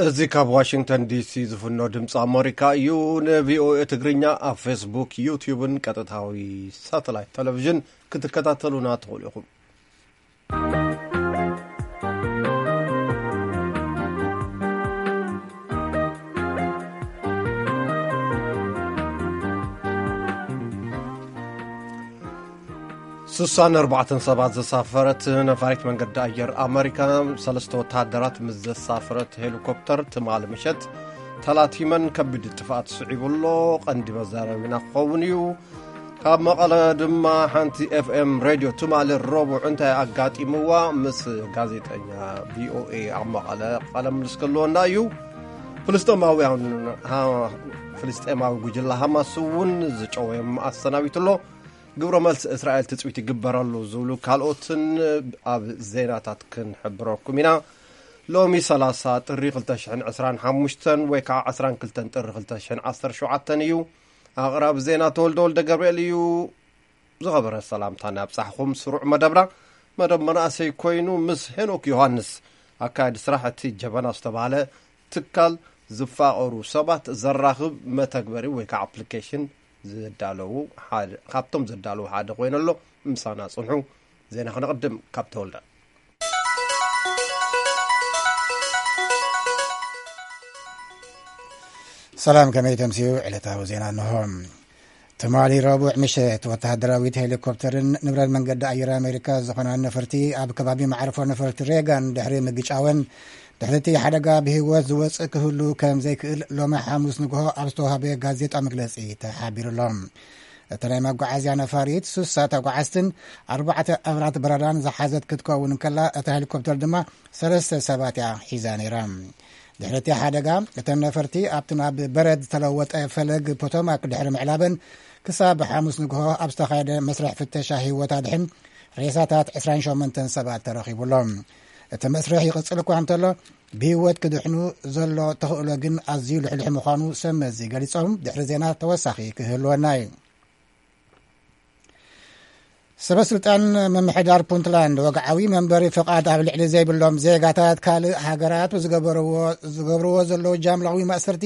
እዚ ካብ ዋሽንግተን ዲሲ ዝፍኖ ድምፂ ኣሜሪካ እዩ። ንቪኦኤ ትግርኛ ኣብ ፌስቡክ፣ ዩትዩብን ቀጥታዊ ሳተላይት ቴሌቪዥን ክትከታተሉና ትኽእሉ ኢኹም። ስሳን ኣርባዕተን ሰባት ዘሳፈረት ነፋሪት መንገዲ ኣየር ኣመሪካ፣ ሰለስተ ወተሃደራት ምስ ዘሳፈረት ሄሊኮፕተር ትማሊ ምሸት ተላቲመን ከቢድ ጥፍኣት ስዒቡ ኣሎ። ቀንዲ መዛረቢና ክኸውን እዩ። ካብ መቐለ ድማ ሓንቲ ኤፍኤም ሬድዮ ትማሊ ረቡዕ እንታይ ኣጋጢምዋ ምስ ጋዜጠኛ ቪኦኤ ኣብ መቐለ ቃለ ምልልስ ክህልወና እዩ። ፍልስጤማውያን፣ ሃ-፣ ፍልስጤማዊ ጉጅለ ሃማስ እውን ዝጨወዮም ኣሰናቢቱ ኣሎ። ግብረ መልሲ እስራኤል ትጽቢት ይግበረሉ ዝብሉ ካልኦትን ኣብ ዜናታት ክንሕብረኩም ኢና። ሎሚ ሰላሳ ጥሪ ክልተ ሽሕን ዕስራን ሓሙሽተን ወይ ከዓ ዕስራን ክልተን ጥሪ ክልተ ሽሕን ዓሰርተ ሸውዓተን እዩ። ኣቕራቢ ዜና ተወልደ ወልደ ገብርኤል እዩ። ዝኸበረ ሰላምታ እናብጻሕኹም ስሩዕ መደብና። መደብ መናእሰይ ኮይኑ ምስ ሄኖክ ዮሃንስ፣ ኣካያዲ ስራሕ እቲ ጀበና ዝተባህለ ትካል ዝፋቐሩ ሰባት ዘራኽብ መተግበሪ ወይ ከዓ ኣፕሊኬሽን ዘዳለዉ ሓደ፣ ካብቶም ዘዳለዉ ሓደ ኮይኑ ኣሎ። ምሳና ጽንሑ። ዜና ክነቕድም ካብ ተወልደ። ሰላም፣ ከመይ ተምስዩ? ዕለታዊ ዜና እንሆ። ትማሊ ረቡዕ ምሸት ወተሃደራዊት ሄሊኮፕተርን ንብረት መንገዲ ኣየር ኣሜሪካ ዝኾና ነፈርቲ ኣብ ከባቢ መዕርፎ ነፈርቲ ሬጋን ድሕሪ ምግጫወን፣ ድሕሪ እቲ ሓደጋ ብህይወት ዝወፅእ ክህሉ ከም ዘይክእል ሎሚ ሓሙስ ንግሆ ኣብ ዝተዋህበ ጋዜጣ መግለፂ ተሓቢሩ ኣሎ። እታ ናይ መጓዓዝያ ነፋሪት ሱሳ ተጓዓዝትን ኣርባዕተ ኣብራት በረራን ዝሓዘት ክትከውን እንከላ፣ እታ ሄሊኮፕተር ድማ ሰለስተ ሰባት እያ ሒዛ ነይራ። ድሕሪ እቲ ሓደጋ፣ እተን ነፈርቲ ኣብቲ ናብ በረድ ዝተለወጠ ፈለግ ፖቶማክ ድሕሪ ምዕላበን፣ ክሳብ ሓሙስ ንግሆ ኣብ ዝተኻየደ መስርሕ ፍተሻ ህይወት ኣድሕን ሬሳታት ዕስራን ሸሞንተን ሰባት ተረኺቡ ኣሎ። እቲ መስርሕ ይቕጽል እኳ እንተሎ፣ ብህይወት ክድሕኑ ዘሎ ተኽእሎ ግን ኣዝዩ ልሕልሕ ምዃኑ ሰብ መዚ ገሊጾም። ድሕሪ ዜና ተወሳኺ ክህልወና እዩ። ሰበ ስልጣን ምምሕዳር ፑንትላንድ፣ ወግዓዊ መንበሪ ፍቓድ ኣብ ልዕሊ ዘይብሎም ዜጋታት ካልእ ሃገራት ብዝገበርዎ፣ ዝገብርዎ ዘለዉ ጃምላዊ ማእሰርቲ፣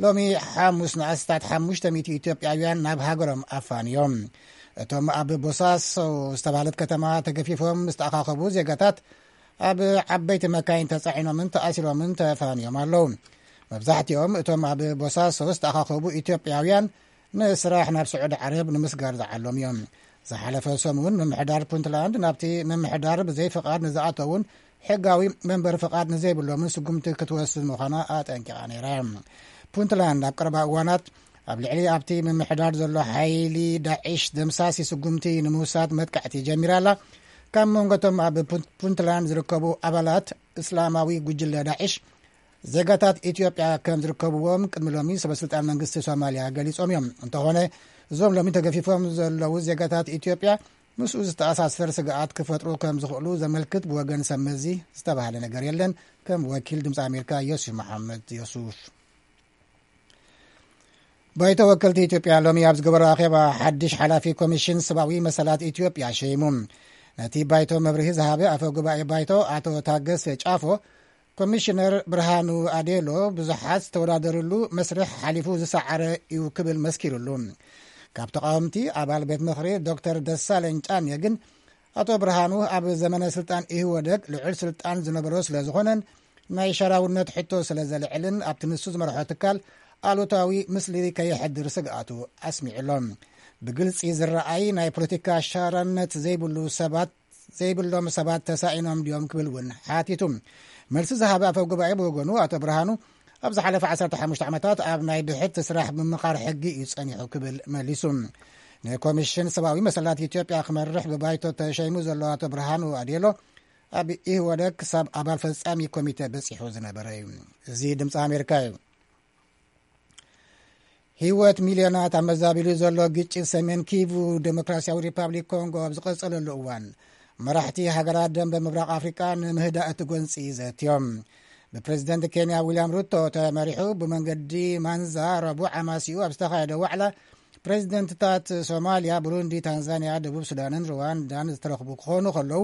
ሎሚ ሓሙስ ንኣስታት ሓሙሽተ ሚእቲ ኢትዮጵያውያን ናብ ሃገሮም ኣፋንዮም። እቶም ኣብ ቦሳሶ ዝተባህለት ከተማ ተገፊፎም ዝተኣኻኸቡ ዜጋታት፣ ኣብ ዓበይቲ መካይን ተጻዒኖምን ተኣሲሮምን ተፋንዮም ኣለዉ። መብዛሕትኦም እቶም ኣብ ቦሳሶ ዝተኣኻኸቡ ኢትዮጵያውያን ንስራሕ ናብ ስዑዲ ዓረብ ንምስጋር ዝዓለሙ እዮም። ዝሓለፈ ሰሙን ምምሕዳር ፑንትላንድ ናብቲ ምምሕዳር ብዘይ ፍቓድ ንዝኣተውን ሕጋዊ መንበሪ ፍቓድ ንዘይብሎምን ስጉምቲ ክትወስድ ምዃና ኣጠንቂቓ ነይራ። ፑንትላንድ ኣብ ቀረባ እዋናት ኣብ ልዕሊ ኣብቲ ምምሕዳር ዘሎ ሓይሊ ዳዒሽ ደምሳሲ ስጉምቲ ንምውሳድ መጥቃዕቲ ጀሚራ ኣላ። ካብ መንጎቶም ኣብ ፑን-፣ ፑንትላንድ ዝርከቡ ኣባላት እስላማዊ ጉጅለ ዳዒሽ ዜጋታት ኢትዮጵያ ከም ዝርከብዎም ቅድሚ ሎሚ ሰበስልጣን መንግስቲ ሶማልያ ገሊጾም እዮም። እንተኾነ፣ እዞም ሎሚ ተገፊፎም ዘለዉ ዜጋታት ኢትዮጵያ ምስኡ ዝተኣሳሰር ስግኣት ክፈጥሩ ከም ዝኽእሉ ዘመልክት ብወገን ሰብ መዚ ዝተባህለ ነገር የለን። ከም ወኪል ድምፂ ኣሜሪካ ዮሱፍ መሓመድ ዮሱፍ። ባይቶ ወከልቲ ኢትዮጵያ ሎሚ ኣብ ዝገበሮ ኣኼባ ሓድሽ ሓላፊ ኮሚሽን ሰብኣዊ መሰላት ኢትዮጵያ ሸይሙ። ነቲ ባይቶ መብርሂ ዝሃበ ኣፈ ጉባኤ ባይቶ ኣቶ ታገሰ ጫፎ፣ ኮሚሽነር ብርሃኑ ኣዴሎ ብዙሓት ዝተወዳደርሉ መስርሕ ሓሊፉ ዝሰዓረ እዩ ክብል መስኪሩሉ። ካብ ተቃወምቲ ኣባል ቤት ምኽሪ ዶክተር ደሳለኝ ጫኔ ግን፣ ኣቶ ብርሃኑ ኣብ ዘመነ ስልጣን ኢህወደግ ልዑል ስልጣን ዝነበሮ ስለ ዝኾነን ናይ ሸራውነት ሕቶ ስለ ዘልዕልን ኣብቲ ንሱ ዝመርሖ ትካል ኣሉታዊ ምስሊ ከየሕድር ስግኣቱ ኣስሚዑ ኣሎ። ብግልጺ ዝረኣይ ናይ ፖለቲካ ሸራነት ዘይብሉ ሰባት፣ ዘይብሎም ሰባት ተሳኢኖም ድዮም ክብል እውን ሓቲቱ። መልሲ ዝሃበ ኣፈ ጉባኤ ብወገኑ፣ ኣቶ ብርሃኑ ኣብ ዝሓለፈ ዓሰርተ ሓሙሽተ ዓመታት ኣብ ናይ ብሕቲ ስራሕ ምምኻር ሕጊ እዩ ጸኒሑ ክብል መሊሱ። ንኮሚሽን ሰብኣዊ መሰላት ኢትዮጵያ ክመርሕ ብባይቶ ተሸይሙ ዘሎ ኣቶ ብርሃኑ ኣዴሎ፣ ኣብ ኢህወደግ ክሳብ ኣባል ፈጻሚ ኮሚቴ በጺሑ ዝነበረ እዩ። እዚ ድምፂ ኣሜሪካ እዩ። ህይወት ሚልዮናት ኣብ መዛቢሉ ዘሎ ግጭት ሰሜን ኪቩ ዴሞክራሲያዊ ሪፓብሊክ ኮንጎ ኣብ ዝቐጸለሉ እዋን፣ መራሕቲ ሃገራት ደንበ ምብራቕ ኣፍሪቃ ንምህዳእ እቲ ጎንጺ ዘትዮም። ብፕሬዚደንት ኬንያ ዊልያም ሩቶ ተመሪሑ ብመንገዲ ማንዛ ረቡዕ ኣማሲኡ ኣብ ዝተኻየደ ዋዕላ፣ ፕሬዚደንትታት ሶማልያ፣ ብሩንዲ፣ ታንዛንያ፣ ደቡብ ሱዳንን ሩዋንዳን ዝተረኽቡ ክኾኑ ከለዉ፣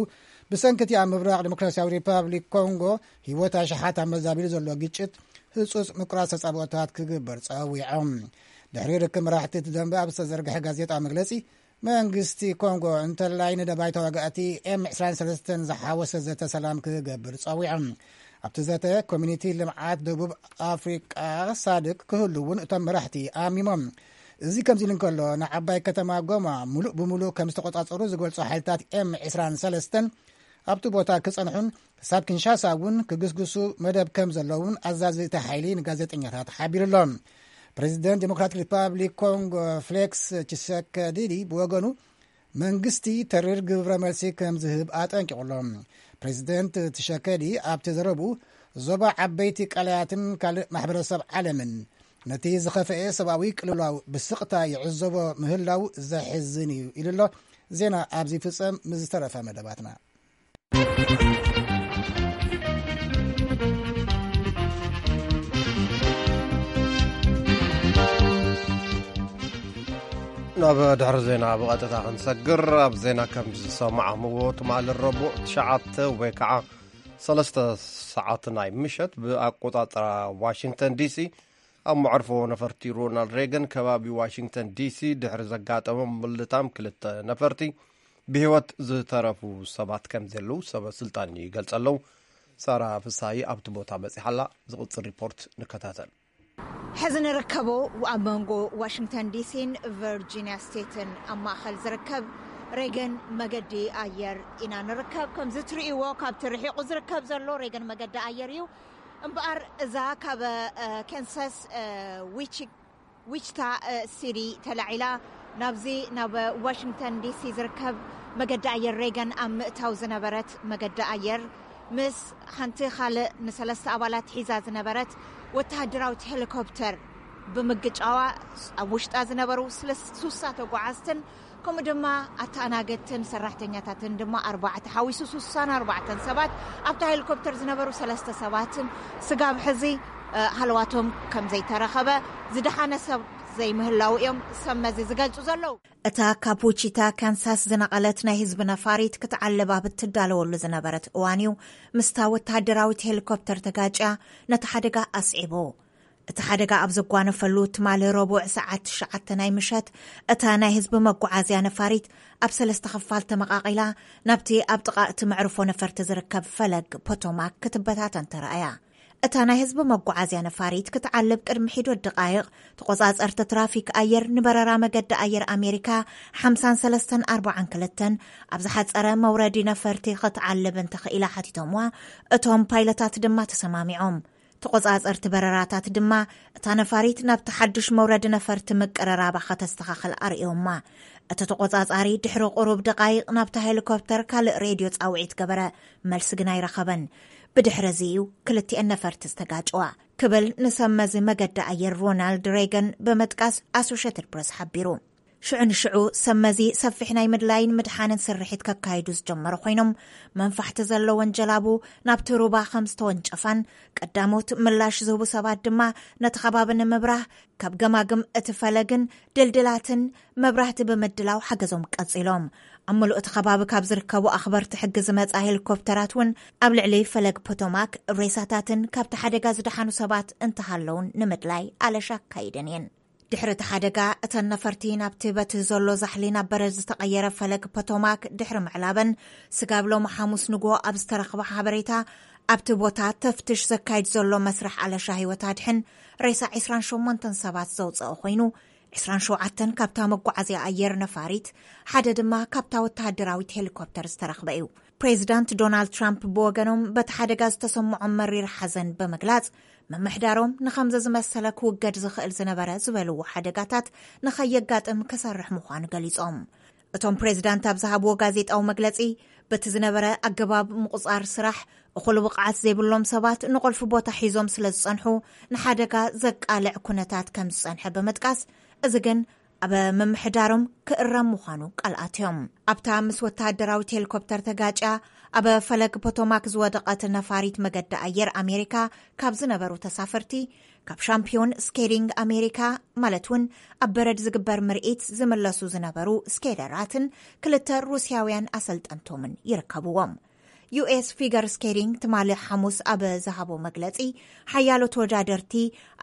ብሰንኪ እቲ ኣብ ምብራቕ ዲሞክራሲያዊ ሪፓብሊክ ኮንጎ ህይወት ኣሽሓት ኣብ መዛቢሉ ዘሎ ግጭት ህጹጽ ምቁራጽ ተጻብኦታት ክግበር ጸዊዖም። ድሕሪ ርክብ መራሕቲ እቲ ደንበ ኣብ ዝተዘርግሐ ጋዜጣዊ መግለጺ፣ መንግስቲ ኮንጎ እንተላይ ንደባይ ተዋጋእቲ ኤም ዕስራን ሰለስተን ዝሓወሰ ዘተ ሰላም ክገብር ጸዊዖም። ኣብቲ ዘተ ኮሚኒቲ ልምዓት ደቡብ ኣፍሪቃ ሳድቅ ክህሉ እውን እቶም መራሕቲ ኣሚሞም። እዚ ከምዚ ኢሉ እንከሎ፣ ንዓባይ ከተማ ጎማ ሙሉእ ብሙሉእ ከም ዝተቆጻጸሩ ዝገልጹ ሓይልታት ኤም ዕስራን ሰለስተን ኣብቲ ቦታ ክጸንሑን ክሳብ ኪንሻሳ እውን ክግስግሱ መደብ ከም ዘለውን ኣዛዚ እቲ ሓይሊ ንጋዜጠኛታት ሓቢሩ ኣሎ። ፕሬዚደንት ዴሞክራቲክ ሪፓብሊክ ኮንጎ ፍሌክስ ቺሰከዲዲ ብወገኑ መንግስቲ ተሪር ግብረ መልሲ ከም ዝህብ ኣጠንቂቑ ኣሎ። ፕሬዚደንት ቲሸከዲ ኣብቲ ዘረቡ፣ ዞባ ዓበይቲ ቀላያትን ካልእ ማሕበረሰብ ዓለምን ነቲ ዝኸፈኤ ሰብኣዊ ቅልውላው ብስቕታ ይዕዘቦ ምህላው ዘሕዝን እዩ ኢሉ ኣሎ። ዜና ኣብዚ ፍጸም። ምስ ዝተረፈ መደባትና። ናብ ድሕሪ ዜና ብቐጥታ ክንሰግር፣ ኣብ ዜና ከም ዝሰማዕምዎ፣ ትማሊ ረቡዕ ትሽዓተ ወይ ከዓ ሰለስተ ሰዓት ናይ ምሸት ብኣቆጻጽራ ዋሽንግተን ዲሲ፣ ኣብ መዕርፎ ነፈርቲ ሮናልድ ሬገን ከባቢ ዋሽንግተን ዲሲ ድሕሪ ዘጋጠመ ምልታም ክልተ ነፈርቲ ብህይወት ዝተረፉ ሰባት ከም ዘለዉ ሰበ ስልጣን ይገልጸ ኣለዉ። ሳራ ፍሳይ ኣብቲ ቦታ በጺሓ ኣላ። ዝቕጽል ሪፖርት ንከታተል። ሕዚ ንርከቦ ኣብ መንጎ ዋሽንግተን ዲሲን ቨርጂኒያ ስቴትን ኣብ ማእኸል ዝርከብ ሬገን መገዲ ኣየር ኢና ንርከብ። ከምዚ ትርእይዎ፣ ካብቲ ርሒቑ ዝርከብ ዘሎ ሬገን መገዲ ኣየር እዩ። እምበኣር እዛ ካብ፣ እ፣ ኬንሳስ፣ እ፣ ዊቺ-፣ ዊችታ፣ እ፣ ሲቲ ተላዒላ ናብዚ ናብ ዋሽንግተን ዲሲ ዝርከብ መገዲ ኣየር ሬገን ኣብ ምእታው ዝነበረት መገዲ ኣየር፣ ምስ ሓንቲ ካልእ ንሰለስተ ኣባላት ሒዛ ዝነበረት ወተሃደራዊት ሄሊኮፕተር ብምግጫዋ፣ ኣብ ውሽጣ ዝነበሩ ስለስ-፣ ሱሳ ተጓዓዝትን ከምኡ ድማ ኣተኣናገድትን ሰራሕተኛታትን ድማ ኣርባዕተ ሓዊሱ ሱሳን ኣርባዕተን ሰባት፣ ኣብታ ሄሊኮፕተር ዝነበሩ ሰለስተ ሰባትን ስጋብ ሕዚ፣ እ፣ ሃለዋቶም ከም ዘይተረኸበ፣ ዝደሓነ ሰብ ዘይምህላው እዮም ሰመዚ ዝገልጹ ዘለዉ። እታ ካብ ዊቺታ ካንሳስ ዝነቐለት ናይ ህዝቢ ነፋሪት ክትዓልብ ኣብ እትዳለወሉ ዝነበረት እዋን እዩ ምስታ ወተሃደራዊት ሄሊኮፕተር ተጋጭያ ነቲ ሓደጋ ኣስዒቡ። እቲ ሓደጋ ኣብ ዘጓነፈሉ ትማሊ ረቡዕ ሰዓት ትሽዓተ ናይ ምሸት፣ እታ ናይ ህዝቢ መጓዓዝያ ነፋሪት ኣብ ሰለስተ ክፋል ተመቓቒላ፣ ናብቲ ኣብ ጥቓ እቲ መዕርፎ ነፈርቲ ዝርከብ ፈለግ ፖቶማክ ክትበታተን ተራእያ። እታ ናይ ህዝቢ መጓዓዝያ ነፋሪት ክትዓልብ ቅድሚ ሒዶት ደቓይቕ፣ ተቖጻጸርቲ ትራፊክ ኣየር ንበረራ መገዲ ኣየር ኣሜሪካ ሓምሳን ሰለስተን ኣርባዓን ክልተን ኣብ ዝሓጸረ መውረዲ ነፈርቲ ክትዓልብ እንተኽኢላ ሓቲቶምዋ፣ እቶም ፓይለታት ድማ ተሰማሚዖም። ተቖጻጸርቲ በረራታት ድማ እታ ነፋሪት ናብቲ ሓድሽ መውረዲ ነፈርቲ ምቅርራባ ከተስተኻኽል ኣርእዮማ። እቲ ተቖጻጻሪ ድሕሪ ቁሩብ ደቓይቕ ናብታ ሄሊኮፕተር ካልእ ሬድዮ ጻውዒት ገበረ፣ መልሲ ግን ኣይረኸበን። ብድሕሪ እዚ እዩ ክልቲኤን ነፈርቲ ዝተጋጨዋ፣ ክብል ንሰብ መዚ መገዲ ኣየር ሮናልድ ሬገን ብምጥቃስ ኣሶሼትድ ፕረስ ሓቢሩ። ሽዑ ንሽዑ ሰብ መዚ ሰፊሕ ናይ ምድላይን ምድሓንን ስርሒት ከካይዱ ዝጀመሩ ኮይኖም፣ መንፋሕቲ ዘለወን ጀላቡ ናብቲ ሩባ ከም ዝተወንጨፋን፣ ቀዳሞት ምላሽ ዝህቡ ሰባት ድማ ነቲ ከባቢ ንምብራህ ካብ ገማግም እቲ ፈለግን ድልድላትን መብራህቲ ብምድላው ሓገዞም ቀጺሎም። ኣብ ምሉእ እቲ ከባቢ ካብ ዝርከቡ ኣኽበርቲ ሕጊ ዝመጻ ሄሊኮፕተራት እውን ኣብ ልዕሊ ፈለግ ፖቶማክ ሬሳታትን ካብቲ ሓደጋ ዝደሓኑ ሰባት እንተሃለውን ንምድላይ ኣለሻ ኣካይደን እየን። ድሕሪ እቲ ሓደጋ፣ እተን ነፈርቲ ናብቲ በቲ ዘሎ ዛሕሊ ናብ በረድ ዝተቐየረ ፈለግ ፖቶማክ ድሕሪ ምዕላበን፣ ስጋብ ሎሚ ሓሙስ ንግሆ ኣብ ዝተረኽበ ሓበሬታ፣ ኣብቲ ቦታ ተፍትሽ ዘካይድ ዘሎ መስርሕ ኣለሻ ህይወት ኣድሕን ሬሳ ዕስራን ሸሞንተን ሰባት ዘውፀኦ ኮይኑ፣ ዕስራን ሸውዓተን ካብታ መጓዓዝያ ኣየር ነፋሪት፣ ሓደ ድማ ካብታ ወተሃደራዊት ሄሊኮፕተር ዝተረኽበ እዩ። ፕሬዚዳንት ዶናልድ ትራምፕ ብወገኖም በቲ ሓደጋ ዝተሰምዖም መሪር ሓዘን ብምግላጽ፣ ምምሕዳሮም ንኸምዚ ዝመሰለ ክውገድ ዝኽእል ዝነበረ ዝበልዎ ሓደጋታት ንኸየጋጥም ክሰርሕ ምዃኑ ገሊጾም። እቶም ፕሬዚዳንት ኣብ ዝሃብዎ ጋዜጣዊ መግለጺ፣ በቲ ዝነበረ ኣገባብ ምቑጻር ስራሕ እኹል ብቕዓት ዘይብሎም ሰባት ንቑልፊ ቦታ ሒዞም ስለ ዝጸንሑ፣ ንሓደጋ ዘቃልዕ ኩነታት ከም ዝጸንሐ ብምጥቃስ፣ እዚ ግን ኣብ ምምሕዳሮም ክእረም ምዃኑ ቃል ኣትዮም። ኣብታ ምስ ወተሃደራዊት ሄሊኮፕተር ተጋጭያ ኣብ ፈለግ ፖቶማክ ዝወደቐት ነፋሪት መገዲ ኣየር ኣሜሪካ ካብ ዝነበሩ ተሳፈርቲ፣ ካብ ሻምፒዮን ስኬቲንግ ኣሜሪካ፣ ማለት እውን ኣብ በረድ ዝግበር ምርኢት ዝምለሱ ዝነበሩ ስኬተራትን ክልተ ሩስያውያን ኣሰልጠንቶምን ይርከብዎም። ዩ ኤስ ፊገር ስኬቲንግ ትማሊ ሓሙስ ኣብ ዝሃቦ መግለጺ፣ ሓያሎ ተወዳደርቲ፣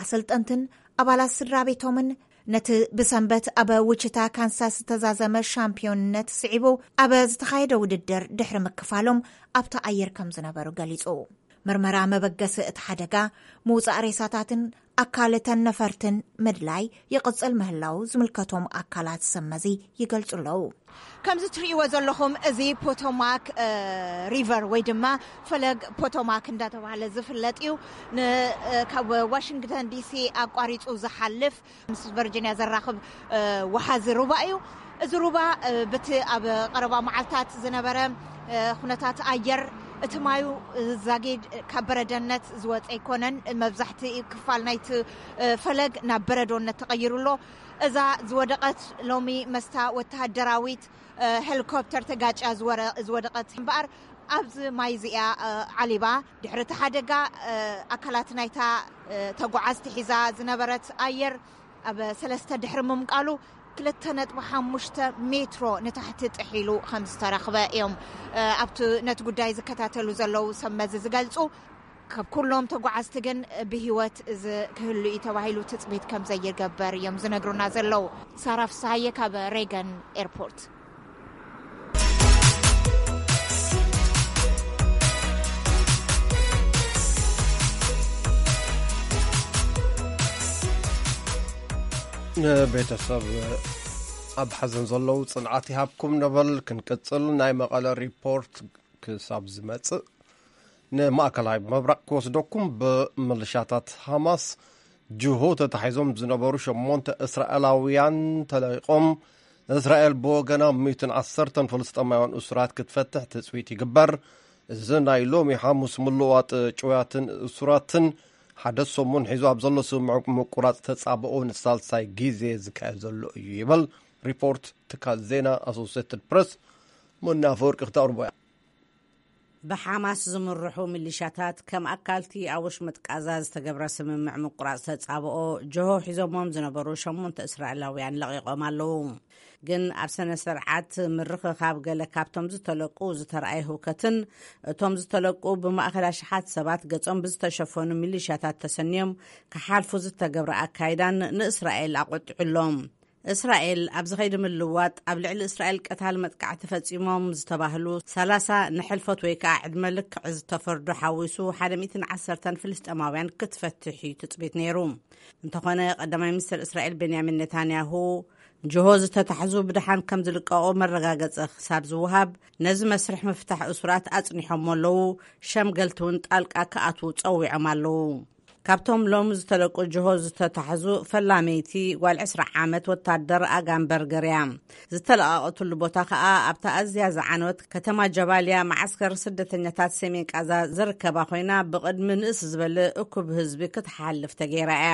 ኣሰልጠንትን ኣባላት ስድራ ቤቶምን ነቲ ብሰንበት ኣብ ዊችታ ካንሳስ ዝተዛዘመ ሻምፒዮንነት ስዒቡ ኣብ ዝተኻየደ ውድድር ድሕሪ ምክፋሎም ኣብቲ ኣየር ከም ዝነበሩ ገሊጹ። ምርመራ መበገሲ እቲ ሓደጋ፣ ምውጻእ ሬሳታትን ኣካል እተን ነፈርትን ምድላይ ይቕጽል ምህላው ዝምልከቶም ኣካላት ሰመዚ ይገልጹ ኣለዉ። ከምዚ ትርእይዎ ዘለኹም፣ እዚ ፖቶማክ ሪቨር ወይ ድማ ፈለግ ፖቶማክ እንዳተባሃለ ዝፍለጥ እዩ። ካብ ዋሽንግተን ዲሲ ኣቋሪጹ ዝሓልፍ ምስ ቨርጂኒያ ዘራኽብ ወሓዚ ሩባ እዩ። እዚ ሩባ ብቲ ኣብ ቀረባ መዓልታት ዝነበረ ኩነታት ኣየር፣ እቲ ማዩ ዛጊድ ካብ በረደነት ዝወፀ ኣይኮነን። መብዛሕቲ ክፋል ናይቲ ፈለግ ናብ በረዶነት ተቐይሩ ኣሎ። እዛ ዝወደቐት ሎሚ መስታ ወተሃደራዊት ሄሊኮፕተር ተጋጫ ዝወደቐት እምበኣር፣ ኣብዚ ማይ እዚኣ ዓሊባ። ድሕሪ እቲ ሓደጋ፣ ኣካላት ናይታ ተጓዓዝቲ ሒዛ ዝነበረት ኣየር ኣብ ሰለስተ ድሕሪ ምምቃሉ፣ ክልተ ነጥቢ ሓሙሽተ ሜትሮ ንታሕቲ ጥሒሉ ከም ዝተረኽበ እዮም ኣብቲ ነቲ ጉዳይ ዝከታተሉ ዘለዉ ሰብ መዚ ዝገልጹ። ካብ ኩሎም ተጓዓዝቲ ግን ብህይወት እዚ ክህሉ እዩ ተባሂሉ ትጽቢት ከም ዘይገብር እዮም ዝነግሩና ዘለዉ። ሳራ ፍስሃየ ካብ ሬገን ኤርፖርት። ንቤተሰብ ኣብ ሓዘን ዘለዉ ጽንዓት ይሃብኩም ነበል። ክንቅጽል፣ ናይ መቐለ ሪፖርት ክሳብ ዝመጽእ፣ ንማእከላይ ምብራቕ ክወስደኩም። ብምልሻታት ሃማስ ጅሆ ተታሒዞም ዝነበሩ ሸሞንተ እስራኤላውያን ተለቒቖም። እስራኤል ብወገና ሚእትን ዓሰርተን ፍልስጤማውያን እሱራት ክትፈትሕ ትጽቢት ይግበር። እዚ ናይ ሎሚ ሓሙስ ምልዋጥ ጭውያትን እሱራትን ሓደ ሰሙን ሒዙ ኣብ ዘሎ ስምምዕ ምቁራጽ ተጻብኦ ንሳልሳይ ግዜ ዝካየድ ዘሎ እዩ ይብል ሪፖርት ትካል ዜና ኣሶሴትድ ፕረስ። ሞና ኣፈወርቂ ክተቕርቦ እያ። ብሓማስ ዝምርሑ ሚሊሻታት ከም ኣካልቲ ኣብ ወሽመጥ ቃዛ ዝተገብረ ስምምዕ ምቁራጽ ተጻብኦ ጅሆ ሒዞሞም ዝነበሩ ሸሞንተ እስራኤላውያን ለቒቖም ኣለዉ። ግን ኣብ ስነ ስርዓት ምርኽኻብ ገለ ካብቶም ዝተለቁ ዝተረኣየ ህውከትን እቶም ዝተለቁ ብማእኸል ኣሽሓት ሰባት ገጾም ብዝተሸፈኑ ሚሊሻታት ተሰንዮም ክሓልፉ ዝተገብረ ኣካይዳን ንእስራኤል ኣቖጢዑ ኣሎ። እስራኤል ኣብዚ ኸይዲ ምልዋጥ ኣብ ልዕሊ እስራኤል ቀታል መጥቃዕቲ ፈጺሞም ዝተባህሉ ሰላሳ ንሕልፈት ወይ ከዓ ዕድመ ልክዕ ዝተፈርዱ ሓዊሱ ሓደ ሚእትን ዓሰርተን ፍልስጤማውያን ክትፈትሕ እዩ ትጽቢት ነይሩ። እንተኾነ ቀዳማይ ሚኒስትር እስራኤል ቤንያሚን ኔታንያሁ ጅሆ ዝተታሕዙ ብድሓን ከም ዝልቀቑ መረጋገጸ ክሳብ ዝወሃብ ነዚ መስርሕ ምፍታሕ እሱራት ኣጽኒሖሞ ኣለዉ። ሸምገልቲ እውን ጣልቃ ክኣትዉ ጸዊዖም ኣለዉ። ካብቶም ሎም ዝተለቁ ጅሆ ዝተታሕዙ ፈላመይቲ ጓል ዕስራ ዓመት ወታደር ኣጋን በርገር እያ። ዝተለቓቐትሉ ቦታ ከኣ ኣብታ ኣዝያ ዝዓነወት ከተማ ጀባልያ መዓስከር ስደተኛታት ሰሜን ቃዛ ዝርከባ ኮይና ብቕድሚ ንእስ ዝበለ እኩብ ህዝቢ ክትሓልፍ ተገይራ እያ።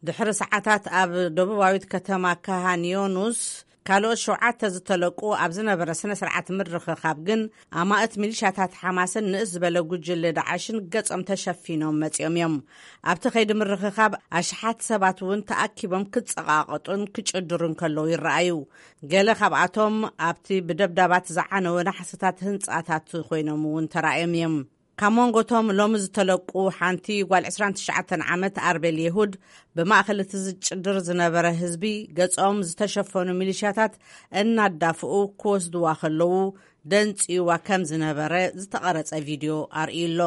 ድሕሪ ሰዓታት ኣብ ደቡባዊት ከተማ ካሃን ዮኑስ ካልኦት ሸውዓተ ዝተለቁ ኣብ ዝነበረ ስነ ስርዓት ምርኽኻብ ግን ኣማእት ሚሊሻታት ሓማስን ንእስ ዝበለ ጉጅለ ዳዓሽን ገጾም ተሸፊኖም መጺኦም እዮም። ኣብቲ ከይዲ ምርኽኻብ ኣሽሓት ሰባት እውን ተኣኪቦም ክጸቓቐጡን ክጭድሩን ከለዉ ይረኣዩ። ገለ ካብኣቶም ኣብቲ ብደብዳባት ዝዓነወ ናሕስታት ህንጻታት ኮይኖም እውን ተራእዮም እዮም። ካብ መንጎቶም ሎሚ ዝተለቁ ሓንቲ ጓል ዕስራን ትሽዓተን ዓመት ኣርቤል የሁድ ብማእኸል እቲ ዝጭድር ዝነበረ ህዝቢ ገጾም ዝተሸፈኑ ሚሊሻታት እናዳፍኡ ክወስድዋ ከለዉ ደንጽዩዋ ከም ዝነበረ ዝተቐረጸ ቪድዮ ኣርእዩ ኣሎ።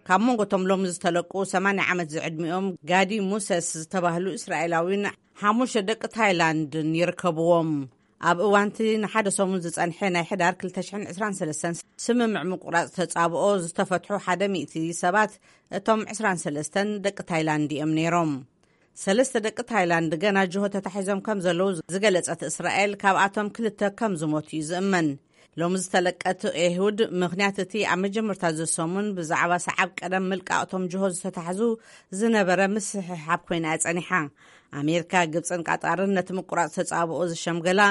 ካብ መንጎቶም ሎም ዝተለቁ ሰማንያ ዓመት ዝዕድሚኦም ጋዲ ሙሰስ ዝተባህሉ እስራኤላዊን ሓሙሽተ ደቂ ታይላንድን ይርከብዎም። ኣብ እዋንቲ ንሓደ ሰሙን ዝጸንሐ ናይ ሕዳር ክልተ ሽሕን ዕስራን ሰለስተን ስምምዕ ምቁራጽ ተጻብኦ ዝተፈትሑ ሓደ ሚእቲ ሰባት እቶም ዕስራን ሰለስተን ደቂ ታይላንድ እዮም ነይሮም። ሰለስተ ደቂ ታይላንድ ገና ጅሆ ተታሒዞም ከም ዘለዉ ዝገለጸት እስራኤል ካብኣቶም ክልተ ከም ዝሞቱ እዩ ዝእመን። ሎም ዝተለቀት ኤሁድ ምኽንያት እቲ ኣብ መጀመርታ ዝሰሙን ብዛዕባ ሰዓብ ቀደም ምልቃቕቶም ጅሆ ዝተታሕዙ ዝነበረ ምስሕሓብ ኮይና እያ ጸኒሓ። ኣሜሪካ፣ ግብጽን ቃጣርን ነቲ ምቁራጽ ተጻብኦ ዝሸምገላ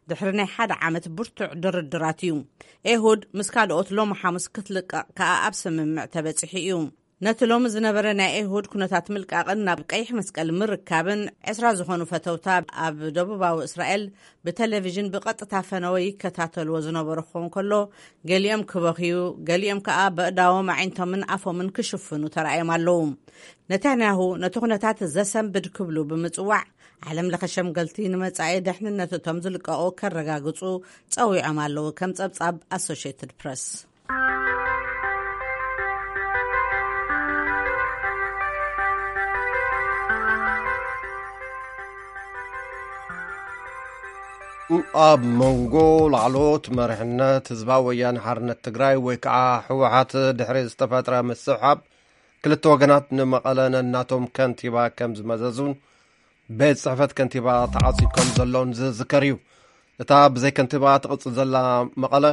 ድሕሪ ናይ ሓደ ዓመት ብርቱዕ ድርድራት እዩ። ኤሁድ ምስ ካልኦት ሎም ሓሙስ ክትልቀቕ ከኣ ኣብ ስምምዕ ተበጺሑ እዩ። ነቲ ሎሚ ዝነበረ ናይ ኤሁድ ኩነታት ምልቃቕን ናብ ቀይሕ መስቀል ምርካብን ዕስራ ዝኾኑ ፈተውታ ኣብ ደቡባዊ እስራኤል ብቴሌቪዥን ብቐጥታ ፈነወ ይከታተልዎ ዝነበሩ ክኸውን ከሎ፣ ገሊኦም ክበኽዩ፣ ገሊኦም ከኣ በእዳዎም ኣዒንቶምን ኣፎምን ክሽፍኑ ተራእዮም ኣለዉ። ነታንያሁ ነቲ ኩነታት ዘሰንብድ ክብሉ ብምጽዋዕ፣ ዓለም ለኸ ሸምገልቲ ንመጻኢ ደሕንነት እቶም ዝልቀቑ ከረጋግጹ ጸዊዖም ኣለዉ፣ ከም ጸብጻብ ኣሶሽየትድ ፕረስ። ኣብ መንጎ ላዕለዎት መሪሕነት ህዝባዊ ወያነ ሓርነት ትግራይ ወይ ከዓ ህወሓት ድሕሪ ዝተፈጥረ ምስሕሓብ፣ ክልተ ወገናት ንመቐለ ነናቶም ከንቲባ ከም ዝመዘዙን ቤት ጽሕፈት ከንቲባ ተዓጽዩ ከም ዘሎን ዝዝከር እዩ። እታ ብዘይ ከንቲባ ትቕጽል ዘላ መቐለ፣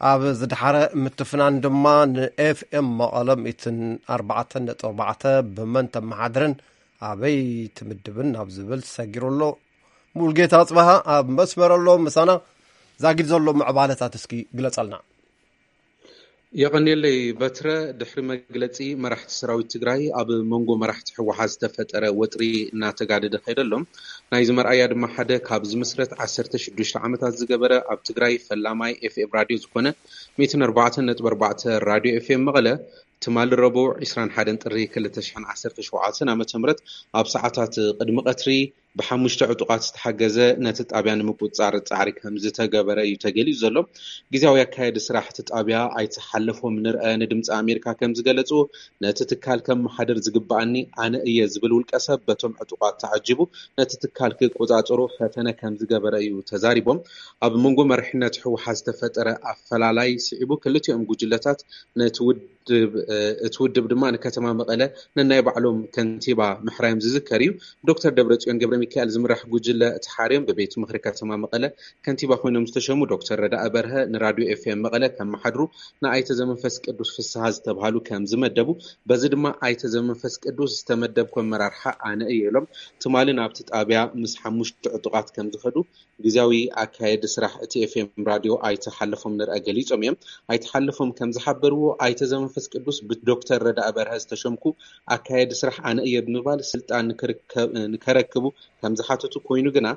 ኣብ ዝደሓረ ምትፍናን ድማ ንኤፍኤም መቐለ ሚእትን ኣርባዕተን ነጥቢ ኣርባዕተ ብመን ተመሓድርን ኣበይ ትምድብን ናብ ዝብል ሰጊሩ ኣሎ። ሙልጌታ ኣጽበሃ ኣብ መስመር ኣሎ፣ ምሳና ዛጊድ ዘሎ ምዕባለታት እስኪ ግለጸልና። የቐንየለይ በትረ። ድሕሪ መግለጺ መራሕቲ ሰራዊት ትግራይ፣ ኣብ መንጎ መራሕቲ ህወሓት ዝተፈጠረ ወጥሪ እናተጋደደ ከይደሎም ናይዚ መርኣያ ድማ ሓደ ካብ ዝምስረት ዓሰርተ ሽዱሽተ ዓመታት ዝገበረ ኣብ ትግራይ ፈላማይ ኤፍኤም ራድዮ ዝኾነ ሚእትን ኣርባዕተን ነጥቢ ኣርባዕተ ራድዮ ኤፍኤም መቐለ፣ ትማሊ ረቡዕ ዕስራን ሓደን ጥሪ ክልተ ሽሕን ዓሰርተ ሸውዓተን ዓመተ ምህረት ኣብ ሰዓታት ቅድሚ ቀትሪ ብሓሙሽተ ዕጡቓት ዝተሓገዘ ነቲ ጣብያ ንምቁፅፃር ፃዕሪ ከም ዝተገበረ እዩ ተገሊፁ ዘሎ። ግዜያዊ ኣካየዲ ስራሕ እቲ ጣብያ ኣይተ ሓለፎም ንርአ ንድምፂ ኣሜሪካ ከም ዝገለፁ፣ ነቲ ትካል ከመሓድር ዝግበኣኒ ኣነ እየ ዝብል ውልቀ ሰብ በቶም ዕጡቓት ተዓጂቡ ነቲ ትካል ክቆፃፀሩ ፈተነ ከም ዝገበረ እዩ ተዛሪቦም። ኣብ መንጎ መሪሕነት ህወሓት ዝተፈጠረ ኣፈላላይ ስዒቡ ክልቲኦም ጉጅለታት ነቲ ውድብ እቲ ውድብ ድማ ንከተማ መቐለ ነናይ ባዕሎም ከንቲባ ምሕራዮም ዝዝከር እዩ። ዶክተር ደብረፅዮን ገብረ ሚካኤል ዝምራሕ ጉጅለ እቲ ሓርዮም ብቤት ምኽሪ ከተማ መቐለ ከንቲባ ኮይኖም ዝተሸሙ ዶክተር ረዳኢ በርሀ ንራድዮ ኤፍኤም መቐለ ከመሓድሩ ንኣይተ ዘመንፈስ ቅዱስ ፍስሃ ዝተብሃሉ ከም ዝመደቡ፣ በዚ ድማ ኣይተ ዘመንፈስ ቅዱስ ዝተመደብኩ ኣመራርሓ ኣነ እየ ኢሎም ትማሊ ናብቲ ጣብያ ምስ ሓሙሽተ ዕጡቓት ከም ዝኸዱ ግዜያዊ ኣካየዲ ስራሕ እቲ ኤፍኤም ራድዮ ኣይተ ሓለፎም ንርአ ገሊጾም እዮም። ኣይተ ሓለፎም ከም ዝሓበርዎ ኣይተ ዘመንፈስ ቅዱስ ብዶክተር ረዳኢ በርሀ ዝተሸምኩ ኣካየዲ ስራሕ ኣነ እየ ብምባል ስልጣን ንክርከብ- ንከረክቡ ከም ዝሓተቱ ኮይኑ ግና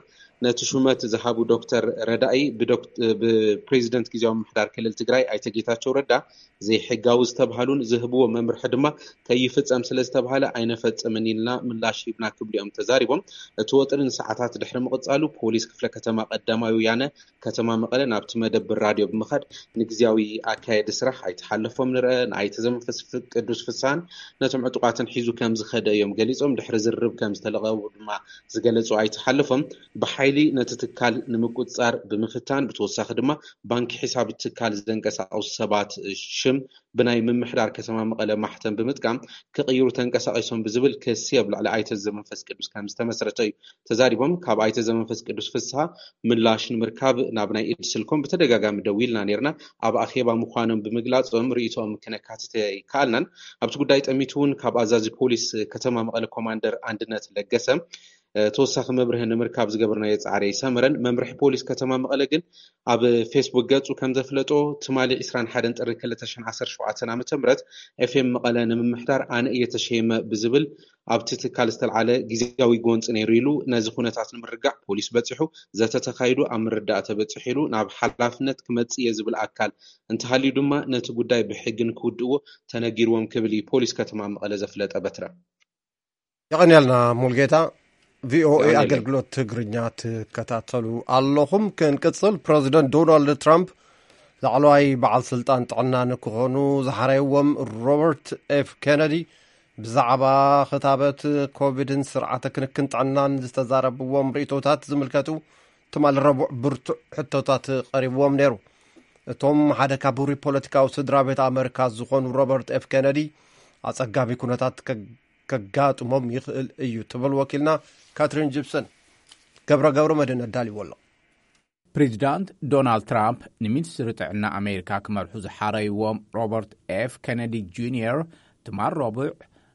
ነቲ ሹመት ዝሃቡ ዶክተር ረዳኢ ብዶክ- ብፕሬዚደንት ግዜያዊ ምምሕዳር ክልል ትግራይ ኣይተ ጌታቸው ረዳ ዘይሕጋዊ ዝተብሃሉን ዝህብዎ መምርሒ ድማ ከይፍጸም ስለ ዝተብሃለ ኣይነፈጽምን ኢልና ምላሽ ሂብና ክብሉ እዮም ተዛሪቦም። እቲ ወጥሪ ንሰዓታት ድሕሪ ምቕጻሉ ፖሊስ ክፍለ ከተማ ቀዳማዊ ወያነ ከተማ መቐለ ናብቲ መደብር ራድዮ ብምኻድ ንግዜያዊ ኣካየዲ ስራሕ ኣይተሓለፎም ንርአ ንኣይተ ዘመንፈስ ቅዱስ ፍሳን ነቶም ዕጡቓትን ሒዙ ከም ዝኸደ እዮም ገሊጾም። ድሕሪ ዝርርብ ከም ዝተለቐቡ ድማ ዝገለጹ ኣይተሓለፎም ብሓይሊ ነቲ ትካል ንምቁጽጻር ብምፍታን ብተወሳኺ ድማ ባንኪ ሒሳብ ትካል ዘንቀሳቐሱ ሰባት ሽም ብናይ ምምሕዳር ከተማ መቐለ ማሕተም ብምጥቃም ክቕይሩ ተንቀሳቒሶም ብዝብል ክሲ ኣብ ልዕሊ ኣይተ ዘመንፈስ ቅዱስ ከም ዝተመስረተ እዩ ተዛሪቦም። ካብ ኣይተ ዘመንፈስ ቅዱስ ፍስሃ ምላሽ ንምርካብ ናብ ናይ ኢድ ስልኮም ብተደጋጋሚ ደዊልና ነርና። ኣብ ኣኼባ ምዃኖም ብምግላጾም ርእይቶኦም ክነካትት ኣይከኣልናን። ኣብቲ ጉዳይ ጠሚቱ እውን ካብ ኣዛዚ ፖሊስ ከተማ መቐለ ኮማንደር ኣንድነት ለገሰ ተወሳኺ መብርሂ ንምርካብ ዝገበርናዮ ፃዕሪ ኣይሰመረን። መምርሒ ፖሊስ ከተማ መቐለ ግን ኣብ ፌስቡክ ገፁ ከም ዘፍለጦ ትማሊ ዕስራን ሓደን ጥሪ ክልተ ሽሕን ዓሰርተ ሸውዓተን ዓመተ ምህረት ኤፍኤም መቐለ ንምምሕዳር ኣነ እየ ተሸይመ ብዝብል ኣብቲ ትካል ዝተልዓለ ግዜያዊ ጎንፂ ነይሩ ኢሉ ነዚ ኩነታት ንምርጋዕ ፖሊስ በፂሑ ዘተ ተኻይዱ ኣብ ምርዳእ ተበፂሑ ኢሉ ናብ ሓላፍነት ክመፅእ እየ ዝብል ኣካል እንተሃልዩ ድማ ነቲ ጉዳይ ብሕጊ ንክውድእዎ ተነጊርዎም ክብል እዩ ፖሊስ ከተማ መቐለ ዘፍለጠ በትረ። የቐንያልና ሙልጌታ። ቪኦኤ ኣገልግሎት ትግርኛ ትከታተሉ ኣለኹም። ክንቅፅል፣ ፕረዚደንት ዶናልድ ትራምፕ ላዕለዋይ በዓል ስልጣን ጥዕና ንክኾኑ ዝሓረይዎም ሮበርት ኤፍ ኬነዲ ብዛዕባ ክታበት ኮቪድን ስርዓተ ክንክን ጥዕናን ዝተዛረብዎም ርእቶታት ዝምልከቱ ትማሊ ረቡዕ ብርቱዕ ሕቶታት ቀሪብዎም ነይሩ። እቶም ሓደ ካብ ውሩይ ፖለቲካዊ ስድራ ቤት ኣመሪካ ዝኾኑ ሮበርት ኤፍ ኬነዲ ኣጸጋሚ ኩነታት ከጋጥሞም ይኽእል እዩ ትብል ወኪልና ካትሪን ጂፕሰን። ገብረ ገብረ መድህን ኣዳልዎ ኣሎ። ፕሬዚዳንት ዶናልድ ትራምፕ ንሚኒስትሪ ጥዕና ኣሜሪካ ክመርሑ ዝሓረይዎም ሮበርት ኤፍ ኬነዲ ጁኒየር ትማል ረቡዕ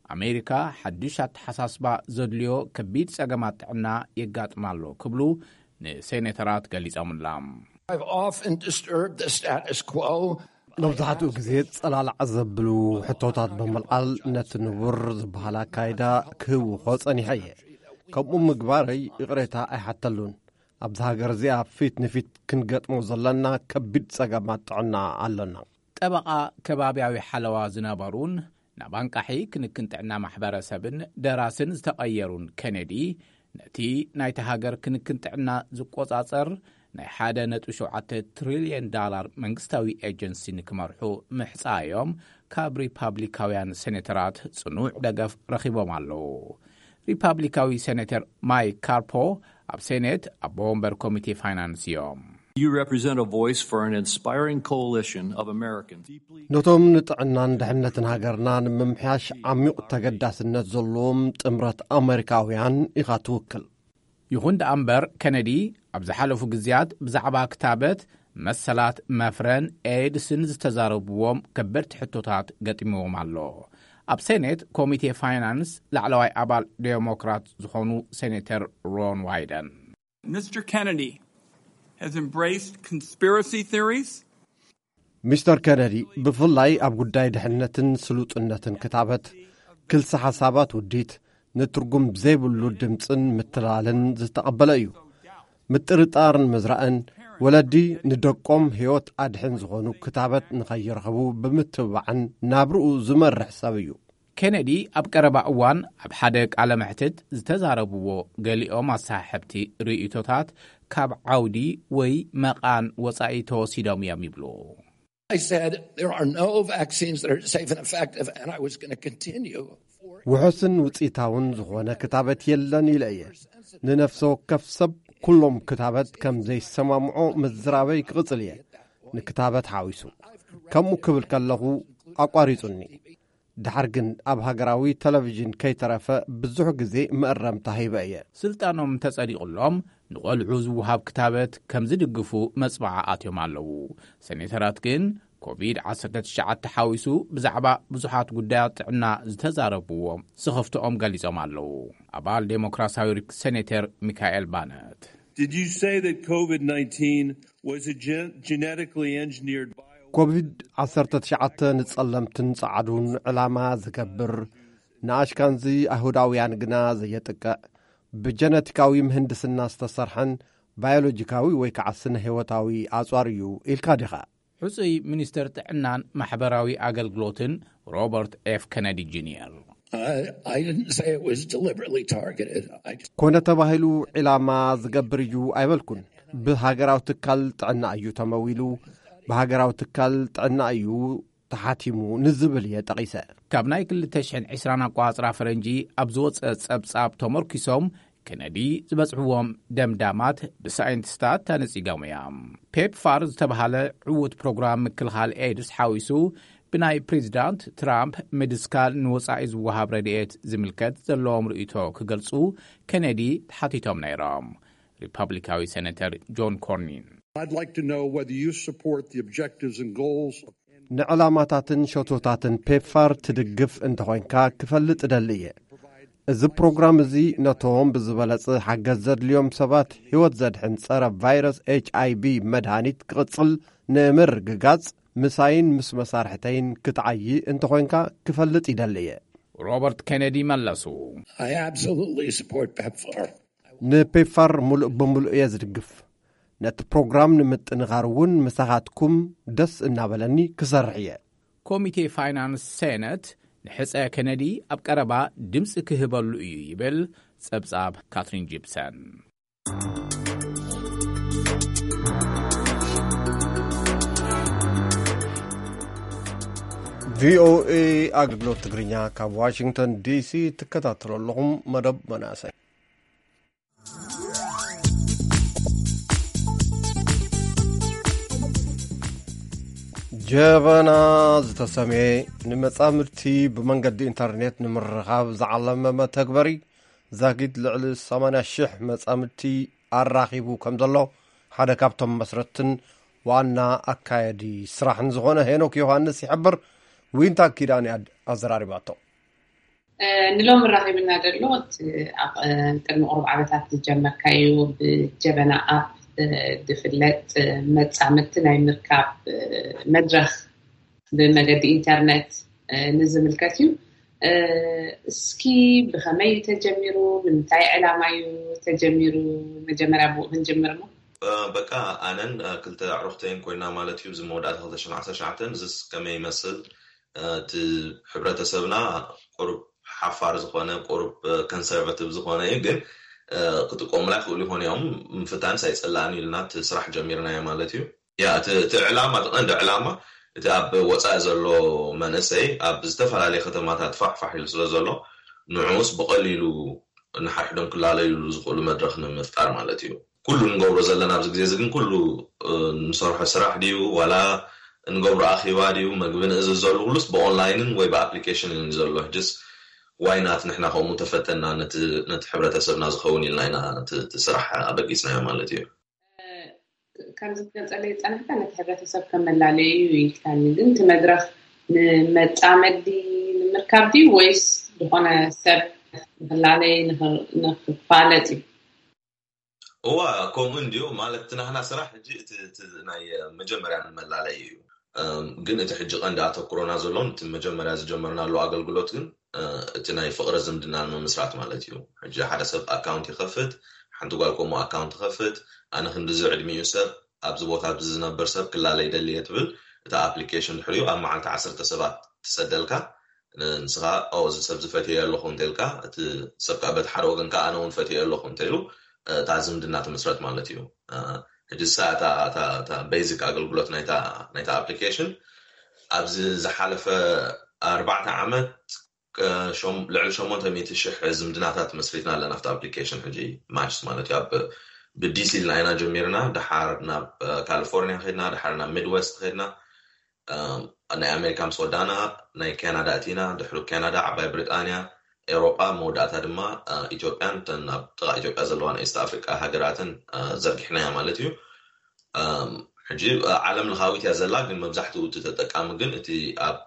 ኣሜሪካ ሓድሽ ኣተሓሳስባ ዘድልዮ ከቢድ ጸገማት ጥዕና የጋጥማ ኣሎ ክብሉ ንሴኔተራት ገሊጾምላ። I've often disturbed the status quo. መብዛሕትኡ ግዜ ጸላላዕ ዘብሉ ሕቶታት ብምልዓል ነቲ ንቡር ዝበሃል ኣካይዳ ክህውኾ ጸኒሐ እየ። ከምኡ ምግባረይ ይቕሬታ ኣይሓተሉን። ኣብዚ ሃገር እዚኣ ፊት ንፊት ክንገጥሞ ዘለና ከቢድ ጸገማት ጥዕና ኣሎና። ጠበቓ ከባብያዊ ሓለዋ ዝነበሩን ናብ ኣንቃሒ ክንክን ጥዕና ማሕበረሰብን ደራስን ዝተቐየሩን ኬነዲ፣ ነቲ ናይቲ ሃገር ክንክን ጥዕና ዝቆጻጸር ናይ ሓደ ነጥቢ ሸውዓተ ትሪልዮን ዳላር መንግስታዊ ኤጀንሲ ንክመርሑ ምሕጻዮም ካብ ሪፓብሊካውያን ሴኔተራት ጽኑዕ ደገፍ ረኺቦም ኣለዉ። ሪፓብሊካዊ ሴኔተር ማይክ ካርፖ ኣብ ሴኔት ኣቦ ወንበር ኮሚቴ ፋይናንስ እዮም። You represent a voice for an inspiring coalition of Americans. ነቶም ንጥዕናን ድሕነትን ሃገርና ንምምሕያሽ ዓሚቕ ተገዳስነት ዘለዎም ጥምረት ኣመሪካውያን ኢኻ ትውክል። ይኹን ደኣ እምበር፣ ኬነዲ ኣብ ዝሓለፉ ግዜያት ብዛዕባ ክታበት፣ መሰላት መፍረን ኤድስን ዝተዛረብዎም ከበድቲ ሕቶታት ገጢምዎም ኣሎ። ኣብ ሴኔት ኮሚቴ ፋይናንስ ላዕለዋይ ኣባል ዴሞክራት ዝኾኑ ሴኔተር ሮን ዋይደን፣ Mister Kennedy has embraced conspiracy theories. ሚስተር ኬነዲ ብፍላይ ኣብ ጉዳይ ድሕነትን ስሉጥነትን ክታበት ክልሰ ሓሳባት ውዲት ንትርጉም ዘይብሉ ድምፅን ምትላልን ዝተቐበለ እዩ። ምጥርጣርን ምዝራእን ወለዲ ንደቆም ህይወት ኣድሕን ዝኾኑ ክታበት ንኸይረኽቡ ብምትብባዕን ናብርኡ ዝመርሕ ሰብ እዩ። ኬነዲ ኣብ ቀረባ እዋን ኣብ ሓደ ቃለ መሕትት ዝተዛረብዎ ገሊኦም ኣሰሓሕብቲ ርእይቶታት ካብ ዓውዲ ወይ መቓን ወጻኢ ተወሲዶም እዮም ይብሉ። I said, "There are no vaccines that are safe and effective," and I was going to continue. ውሑስን ውፅኢታውን ዝኾነ ክታበት የለን ኢለ እየ። ንነፍሰ ወከፍ ሰብ ኩሎም ክታበት ከም ዘይሰማምዖ ምዝራበይ ክቕጽል እየ። ንክታበት ሓዊሱ ከምኡ ክብል ከለኹ ኣቋሪጹኒ። ድሓር ግን ኣብ ሃገራዊ ቴሌቪዥን ከይተረፈ ብዙሕ ግዜ መእረምታ ሂበ እየ። ስልጣኖም እንተጸዲቑሎም ንቖልዑ ዝወሃብ ክታበት ከም ዝድግፉ መጽብዓ ኣትዮም ኣለዉ። ሴኔተራት ግን ኮቪድ ዓሰርተ ትሽዓተ ሓዊሱ ብዛዕባ ብዙሓት ጉዳያት ጥዕና ዝተዛረብዎም ስኽፍትኦም ገሊጾም ኣለዉ። ኣባል ዴሞክራሲያዊ ሪክ ሴኔተር ሚካኤል ባነት፣ Did you say that COVID nineteen was a gen- genetically engineered bio? ኮቪድ ዓሰርተ ትሽዓተ ንጸለምትን ጸዓዱን ዕላማ ዝገብር፣ ንኣሽካንዚ ኣይሁዳውያን ግና ዘየጥቅዕ፣ ብጀነቲካዊ ምህንድስና ዝተሰርሐን ባዮሎጂካዊ ወይ ከዓ ስነ ህይወታዊ ኣጽዋር እዩ ኢልካ ዲኻ? ሕጹይ ሚኒስተር ጥዕናን ማሕበራዊ ኣገልግሎትን ሮበርት ኤፍ ኬነዲ ጁኒየር፣ I, I didn't say it was deliberately targeted. I just ኮነ ተባሂሉ ዒላማ ዝገብር እዩ ኣይበልኩን። ብሃገራዊ ትካል ጥዕና እዩ ተመዊሉ። ብሃገራዊ ትካል ጥዕና እዩ ተሓቲሙ ንዝብል እየ ጠቒሰ። ካብ ናይ ክልተ ሽሕን ዕስራን ኣቋጽራ ፈረንጂ ኣብ ዝወጸ ጸብጻብ ተመርኪሶም፣ ኬነዲ ዝበጽሕዎም ደምዳማት ብሳይንቲስታት ተነጺጎም እዮም። ፔፕፋር ዝተባህለ ዕዉት ፕሮግራም ምክልኻል ኤድስ ሓዊሱ ብናይ ፕሬዚዳንት ትራምፕ ምድስካል ንወጻኢ ዝወሃብ ረድኤት ዝምልከት ዘለዎም ርእይቶ ክገልጹ ኬነዲ ተሓቲቶም ነይሮም። ሪፐብሊካዊ ሴኔተር ጆን ኮርኒን፣ I'd like to know whether you support the objectives and goals of ንዕላማታትን ሸቶታትን ፔፕፋር ትድግፍ እንተኾይንካ ክፈልጥ እደሊ እየ። እዚ ፕሮግራም እዚ ነቶም ብዝበለጸ ሓገዝ ዘድልዮም ሰባት ህይወት ዘድሕን ጸረ ቫይረስ ኤች ኣይ ቪ መድሃኒት ክቕጽል ንምርግጋጽ ምሳይን ምስ መሳርሕተይን ክትዓዪ እንተኾይንካ ክፈልጥ ይደሊ እየ። ሮበርት ኬነዲ መለሱ፣ I absolutely support PEPFAR. ንፔፕፋር ሙሉእ ብምሉእ እየ ዝድግፍ። ነቲ ፕሮግራም ንምጥንኻር እውን ምሳኻትኩም ደስ እናበለኒ ክሰርሕ እየ። ኮሚቴ ፋይናንስ ሴነት ንሕጸ ኬነዲ ኣብ ቀረባ ድምጺ ክህበሉ እዩ ይብል ጸብጻብ ካትሪን ጂፕሰን። ቪኦኤ ኣገልግሎት ትግርኛ ካብ ዋሽንግተን ዲሲ ትከታተሉ ኣለኹም። መደብ መናእሰይ። ጀበና ዝተሰምየ ንመጻምድቲ ብመንገዲ ኢንተርኔት ንምርኻብ ዝዓለመ መተግበሪ ዛጊት ልዕሊ ሰማንያ ሽሕ መጻምድቲ ኣራኺቡ ከም ዘሎ ሓደ ካብቶም መስረትን ዋና ኣካየዲ ስራሕን ዝኾነ ሄኖክ ዮሃንስ ይሕብር። ዊንታ ኪዳነ ኣድ-፣ ኣዘራሪባቶ። ንሎሚ ራኺብና ዘሎ እቲ ኣብ ቅድሚ ቁሩብ ዓመታት ዝጀመርካዩ ብጀበና ኣፕ ዝፍለጥ መጻምድቲ ናይ ምርካብ መድረኽ ብመገዲ ኢንተርነት ንዝምልከት እዩ። እስኪ ብኸመይ እዩ ተጀሚሩ? ንምንታይ ዕላማ እዩ ተጀሚሩ? መጀመርያ ብኡ ክንጅምር እሞ። በቃ ኣነን ክልተ ኣዕሩኽተይን ኮይና ማለት እዩ። እዚ መወዳእታ ክልተ ሽሕን ዓሰርተ ትሽዓተን እዚስ ከመይ ይመስል? እቲ ሕብረተሰብና ቁሩብ ሓፋር ዝኾነ፣ ቁሩብ ኮንሰርቫቲቭ ዝኾነ እዩ፣ ግን ክጥቀሙላ ይኽእሉ ይኾኑ እዮም፣ ምፍታንስ ኣይጸላእን ኢልና እቲ ስራሕ ጀሚርናዮ ማለት እዩ። ያ እቲ ዕላማ፣ እቲ ቀንዲ ዕላማ፣ እቲ ኣብ ወፃኢ ዘሎ መንእሰይ ኣብ ዝተፈላለየ ከተማታት ፋሕፋሕ ኢሉ ስለ ዘሎ፣ ንዑስ ብቐሊሉ ንሓድሕዶም ክላለዩሉ ዝኽእሉ መድረኽ ንምፍጣር ማለት እዩ። ኩሉ ንገብሮ ዘለና ኣብዚ ግዜ እዚ ግን፣ ኩሉ ንሰርሖ ስራሕ ድዩ ዋላ ንገብሮ ኣኼባ ድዩ፣ መግቢ ንእዝዝ ዘሎ ኩሉስ ብኦንላይንን ወይ ብኣፕሊኬሽንን እዩ ዘሎ። ሕጅስ ዋይናት ንሕና ከምኡ ተፈተና ነቲ ሕብረተሰብና ዝኸውን ኢልና ኢና እቲ ስራሕ ኣበጊስናዮ ማለት እዩ። ከም ዝትገልጸለይ ዝጸናሕካ ነቲ ሕብረተሰብ ከም መላለዩ እዩ ኢልካኒ፣ ግን እቲ መድረኽ ንመጻመዲ ንምርካብ ድዩ ወይስ ዝኾነ ሰብ ንኽላለይ ንኽፋለጥ እዩ? እዋ፣ ከምኡ እንድዩ ማለት፣ እቲ ናህና ስራሕ ሕጂ እቲ ናይ መጀመርያ ንመላለዩ እዩ። ግን እቲ ሕጂ ቀንዲ ኣተኩሮና ዘሎን እቲ መጀመርያ ዝጀመርናሉ ኣገልግሎት ግን እቲ ናይ ፍቕሪ ዝምድና ንምምስራት ማለት እዩ። ሕጂ ሓደ ሰብ ኣካውንት ይኸፍት፣ ሓንቲ ጓል ከምኡ ኣካውንት ትኸፍት፣ ኣነ ክንድዚ ዕድሚኡ ሰብ ኣብዚ ቦታ ኣብዚ ዝነብር ሰብ ክላለ ይደሊ እየ ትብል፣ እታ ኣፕሊኬሽን ድሕሪኡ ኣብ መዓልቲ ዓሰርተ ሰባት ትሰደልካ። ንስኻ ኦ እዚ ሰብ ዝፈትየ ኣለኹ እንተልካ፣ እቲ ሰብ ከዓ በቲ ሓደ ወገን ከዓ ኣነ እውን ፈትየ ኣለኹ እንተኢሉ፣ እታ ዝምድና ትምስረት ማለት እዩ። ሕጂ እሳ እታ ቤዚክ ኣገልግሎት ናይታ ኣፕሊኬሽን ኣብዚ ዝሓለፈ ኣርባዕተ ዓመት ልዕሊ ሸሞንተ ሚእቲ ሽሕ ዝምድናታት መስሪትና ኣለና ኣብቲ ኣፕሊኬሽን። ሕጂ ማችስ ማለት እዩ። ኣብ ብዲሲ ኢልና ኢና ጀሚርና፣ ድሓር ናብ ካሊፎርኒያ ከድና፣ ድሓር ናብ ሚድወስት ከድና፣ ናይ ኣሜሪካ ምስ ወዳእና ናይ ካናዳ እቲና፣ ድሕሪ ካናዳ ዓባይ ብሪጣንያ፣ ኤውሮጳ፣ መወዳእታ ድማ ኢትዮጵያን ተን ኣብ ጥቓ ኢትዮጵያ ዘለዋ ናይ ኢስት ኣፍሪቃ ሃገራትን ዘርጊሕናያ ማለት እዩ። ሕጂ ዓለም ለኻዊት እያ ዘላ፣ ግን መብዛሕትኡ እቲ ተጠቃሚ ግን እቲ ኣብ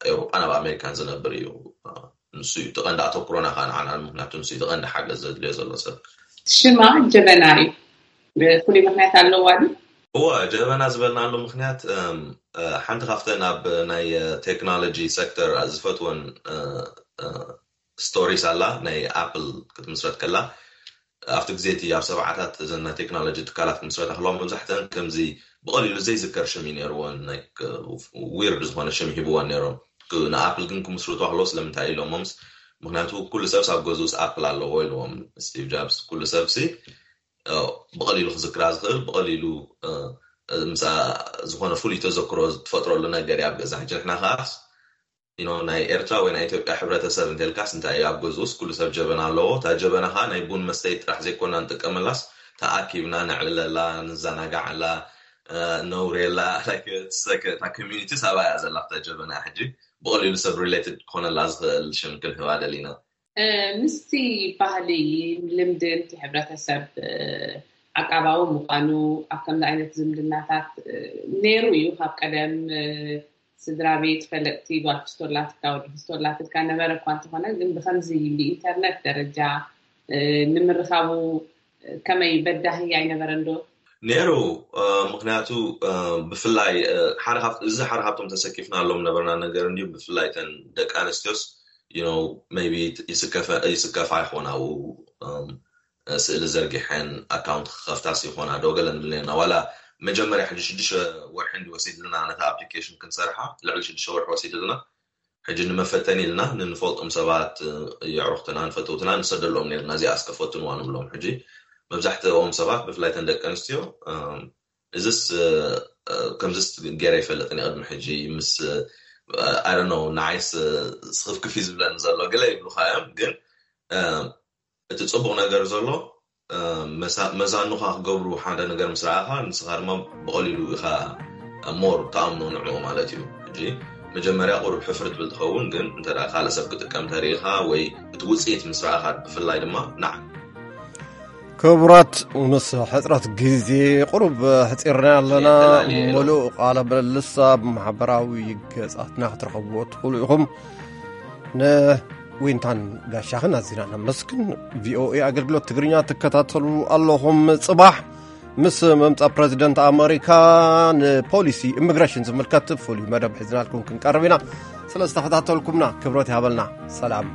ኤውሮጳን ኣብ ኣሜሪካን ዝነብር እዩ። ንሱ እዩ እቲ ቀንዲ ኣተኩሮና ከዓ ንዓና፣ ምክንያቱ ንሱ እዩ እቲ ቀንዲ ሓገዝ ዘድልዮ ዘሎ ሰብ። ሽማ ጀበና እዩ። ፍሉይ ምክንያት ኣለዋ ድዩ? እወ፣ ጀበና ዝበልናሉ ምክንያት ሓንቲ ካብተን ኣብ ናይ ቴክኖሎጂ ሴክተር ዝፈትወን ስቶሪስ ኣላ፣ ናይ ኣፕል ክትምስረት ከላ ኣብቲ ግዜ እቲ ኣብ ሰብዓታት እዘን ናይ ቴክኖሎጂ ትካላት ክምስረታ ከለዋ መብዛሕተን ከምዚ ብቐሊሉ ዘይዝከር ሽም እዩ ነይርወን። ዊርድ ዝኾነ ሽም ሂብወን ነይሮም። ንኣፕል ግን ክምስርቱ ከለዉ ስለምንታይ ኢሎሞምስ? ምክንያቱ ኩሉ ሰብስ ኣብ ገዝኡስ ኣፕል ኣለዎ ኢልዎም ስቲቭ ጃብስ። ኩሉ ሰብሲ ብቐሊሉ ክዝክራ ዝኽእል፣ ብቐሊሉ ምስ ዝኾነ ፍሉይ ተዘክሮ ትፈጥረሉ ነገር እያ ኣብ ገዛ። ሕጂ ንሕና ከዓስ ናይ ኤርትራ ወይ ናይ ኢትዮጵያ ሕብረተሰብ እንተልካስ እንታይ እዩ ኣብ ገዝኡስ ኩሉ ሰብ ጀበና ኣለዎ። እታ ጀበና ከዓ ናይ ቡን መስተይ ጥራሕ ዘይኮና ንጥቀመላስ ተኣኪብና ነዕልለላ፣ ንዘናጋዓላ፣ ነውሬላ። እታ ኮሚኒቲ ሳባ እያ ዘላ እታ ጀበና። ሕጂ ብቐሊሉ ሰብ ሪሌትድ ክኾነላ ዝኽእል ሽም ክንህባ ደሊና። ምስቲ ባህሊ ልምዲ እቲ ሕብረተሰብ ዓቃባዊ ምዃኑ ኣብ ከምዚ ዓይነት ዝምድናታት ነይሩ እዩ ካብ ቀደም። ስድራ ቤት፣ ፈለጥቲ፣ ጓል ክስቶላትካ፣ ወዲ ክስቶላትካ ነበረ እኳ እንተኾነ፣ ግን ብኸምዚ ብኢንተርነት ደረጃ ንምርኻቡ ከመይ በዳሂ ኣይነበረን ዶ? ነይሩ። ምክንያቱ ብፍላይ ሓደ ካብ እዚ ሓደ ካብቶም ተሰኪፍናሎም ነበርና ነገር እንዲሁ ብፍላይ ተን ደቂ ኣንስትዮስ ቢ ይስከፋ ይኮና ስእሊ ዘርጊሐን ኣካውንት ክኸፍታስ ይኾና ዶ ገለ ንብል ነርና። ዋላ መጀመርያ ሕጂ ሽዱሽተ ወርሒ እንዲ ወሲድልና ነታ ኣፕሊኬሽን ክንሰርሓ ልዕሊ ሽዱሽተ ወርሒ ወሲድልና። ሕጂ ንመፈተኒ ኢልና ንንፈልጦም ሰባት የዕሩኽትና ንፈተውትና ንሰደሎም ነርና። እዚኣ እስከ ፈትንዋ ንብሎም። ሕጂ መብዛሕትኦም ሰባት ብፍላይ ተን ደቂ ኣንስትዮ እዚስ ከምዚስ ገይረ ይፈልጥን ቅድሚ ሕጂ ምስ ኣረኖ ንዓይስ ስኽፍክፍ ዝብለኒ ዘሎ ገለ ይብሉካ እዮም። ግን እቲ ፅቡቕ ነገር ዘሎ መዛኑኻ ክገብሩ ሓደ ነገር ምስ ረኣኻ ንስኻ ድማ ብቐሊሉ ኢኻ ሞር ተኣምኖ ንዕኡ ማለት እዩ። ሕጂ መጀመርያ ቁሩብ ሕፍር ትብል ትኸውን፣ ግን እንተ ካልእ ሰብ ክጥቀም ተሪኢኻ ወይ እቲ ውፅኢት ምስ ረኣኻ ብፍላይ ድማ ናዕ ክቡራት፣ ምስ ሕፅረት ግዜ ቁሩብ ሕፂርና ኣለና። ሙሉእ ቃለ ምልልስ ኣብ ማሕበራዊ ገጻትና ክትረኸብዎ ትኽእሉ ኢኹም። ንዊንታን ጋሻኽን ኣዚና ነመስግን። ቪኦኤ ኣገልግሎት ትግርኛ ትከታተሉ ኣለኹም። ጽባሕ ምስ ምምጻእ ፕረዚደንት ኣመሪካ ንፖሊሲ ኢሚግሬሽን ዝምልከት ፍሉይ መደብ ሒዝናልኩም ክንቀርብ ኢና። ስለ ዝተኸታተልኩምና ክብረት ይሃበልና። ሰላም።